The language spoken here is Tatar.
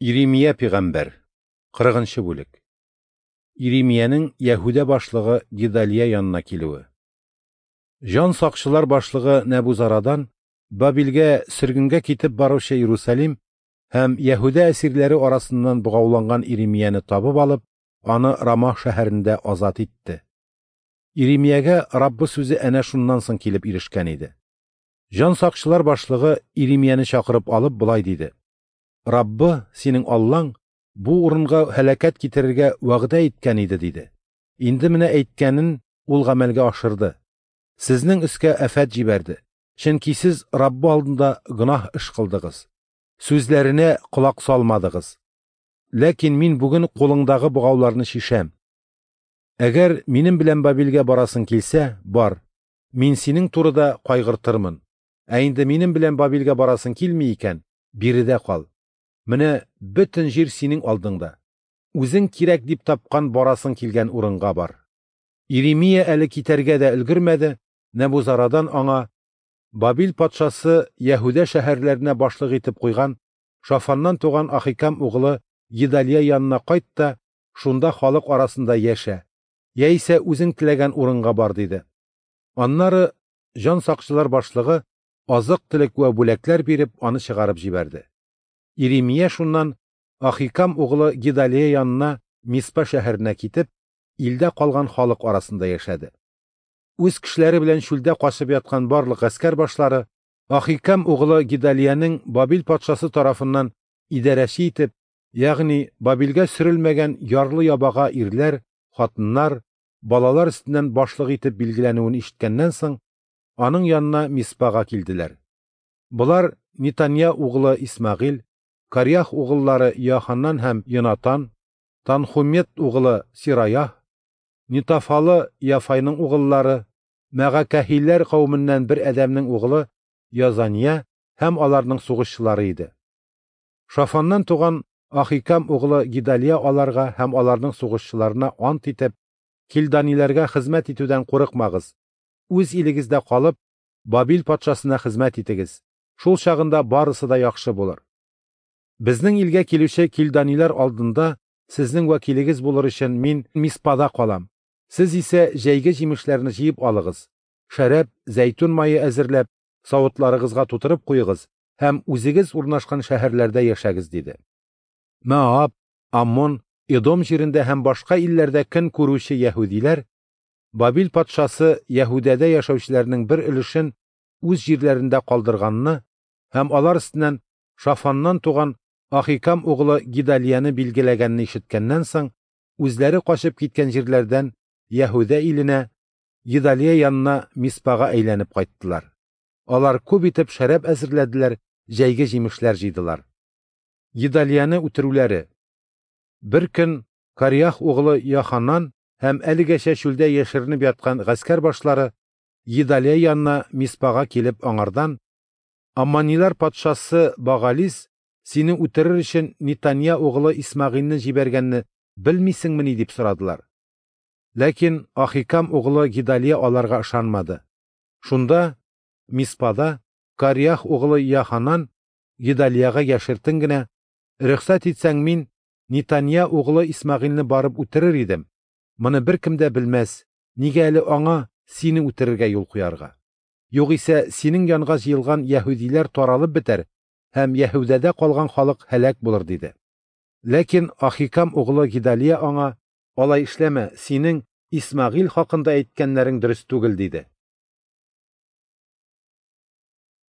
Иремия пигамбәр, 40 нчы бүлек. Иремиянең Яһүдә башлыгы Гедалия янына килүе. Җан сакчылар башлыгы Нәбузарадан Бабилгә сөргенгә китеп баручы Иерусалим һәм Яһүдә әсирләре арасыннан богауланган Иремияне табып алып, аны Рама шәһәрендә азат итте. Иремиягә Раббы сүзе әнә шуннан соң килеп ирешкән иде. Җан сакчылар башлыгы Иремияне чакырып алып болай диде: Раббы, синең Аллаң, бу урынга һәлакәт китерергә вәгъдә иткән иде, диде. Инде менә әйткәнен ул гамәлгә ашырды. Сезнең өскә афәт җибәрде. Чөнки сез Раббы алдында гөнаһ эш кылдыгыз. Сүзләренә колак салмадыгыз. Ләкин мин бүген кулыңдагы богауларны чишәм. Әгәр минем белән Бабилгә барасың килсә, бар. Мин синең турыда кайгыртырмын. Ә инде минем белән Бабилгә барасың килми икән, биредә кал. Менә бөтен җир синең алдыңда. Үзең кирәк дип тапкан барасың килгән урынга бар. Иремия әле китәргә дә өлгермәде, Нәбузарадан аңа Бабил патшасы Яһүдә шәһәрләренә башлык итеп куйган Шафаннан туган Ахикам угылы Гедалия янына кайт та, шунда халык арасында яшә, яисә үзең теләгән урынга бар, диде. Аннары җан сакчылар башлыгы азык-төлек вә бүләкләр биреп аны чыгарып җибәрде. Иремия шуннан Ахикам угылы Гедалия янына Миспа шәһәренә китеп, илдә калган халык арасында яшәде. Үз кешеләре белән чүлдә качып яткан барлык гаскәр башлары Ахикам угылы Гедалиянең Бабил патшасы тарафыннан идарәче итеп, ягъни Бабилгә сөрелмәгән ярлы ябага ирләр, хатыннар, балалар өстеннән башлык итеп билгеләнүен ишеткәннән соң, аның янына Миспага килделәр. Болар Нитанья угылы Исмәгыйль, Карях угыллары Иоханнан һәм Йонатан, Танхумет угылы Сираях, Нитафалы Яфайның угыллары, Мәгакәһиләр кавеменнән бер адәмнең угылы Язания һәм аларның сугышчылары иде. Шафаннан туган Ахикам угылы Гедалия аларга һәм аларның сугышчыларына ант итеп, Килданиләргә хезмәт итүдән курыкмагыз. Үз илегездә калып, Бабил патшасына хезмәт итегез. Шул чагында барысы да яхшы булыр. Безнең илгә килүче килданиләр алдында сезнең вәкилегез булыр өчен мин Миспада калам. Сез исә җәйге җимешләрне җыеп алыгыз, шәраб, зәйтүн мае әзерләп, савытларыгызга тутырып куегыз һәм үзегез урнашкан шәһәрләрдә яшәгез, диде. Моаб, Аммон, Эдом җирендә һәм башка илләрдә көн күрүче яһүдиләр Бабил патшасы Яһүдәдә яшәүчеләрнең бер өлешен үз җирләрендә калдырганны һәм алар өстеннән Шафаннан туган Ахикам угылы Гедалияне билгеләгәнне ишеткәннән соң, үзләре качып киткән җирләрдән Яһүдә иленә, Гедалия янына Миспага әйләнеп кайттылар. Алар күп итеп шәраб әзерләделәр, җәйге җимешләр җыйдылар. Гедалияне үтерүләре. Бер көн Кариах угылы Йоханан һәм әлегәчә чүлдә яшеренеп яткан гаскәр башлары Гедалия янына Миспага килеп аңардан: Аммонилар патшасы Багалис сине үтерер өчен Нитанья угылы Исмәгыйльне җибәргәнне белмисеңмени, дип сорадылар. Ләкин Ахикам угылы Гедалия аларга ышанмады. Шунда Миспада Кариах угылы Йоханан Гедалиягә яшертен генә: "Рөхсәт итсәң, мин Нитанья угылы Исмәгыйльне барып үтерер идем. Моны беркем дә белмәс. Нигә әле аңа сине үтерергә юл куярга? Югыйсә синең янга җыелган яһүдиләр таралып бетәр һәм Яһүдәдә калган халык һәлак булыр, диде. Ләкин Ахикам угылы Гедалия аңа: "Алай эшләмә, синең Исмәгыйль хакында әйткәннәрең дөрес түгел", диде.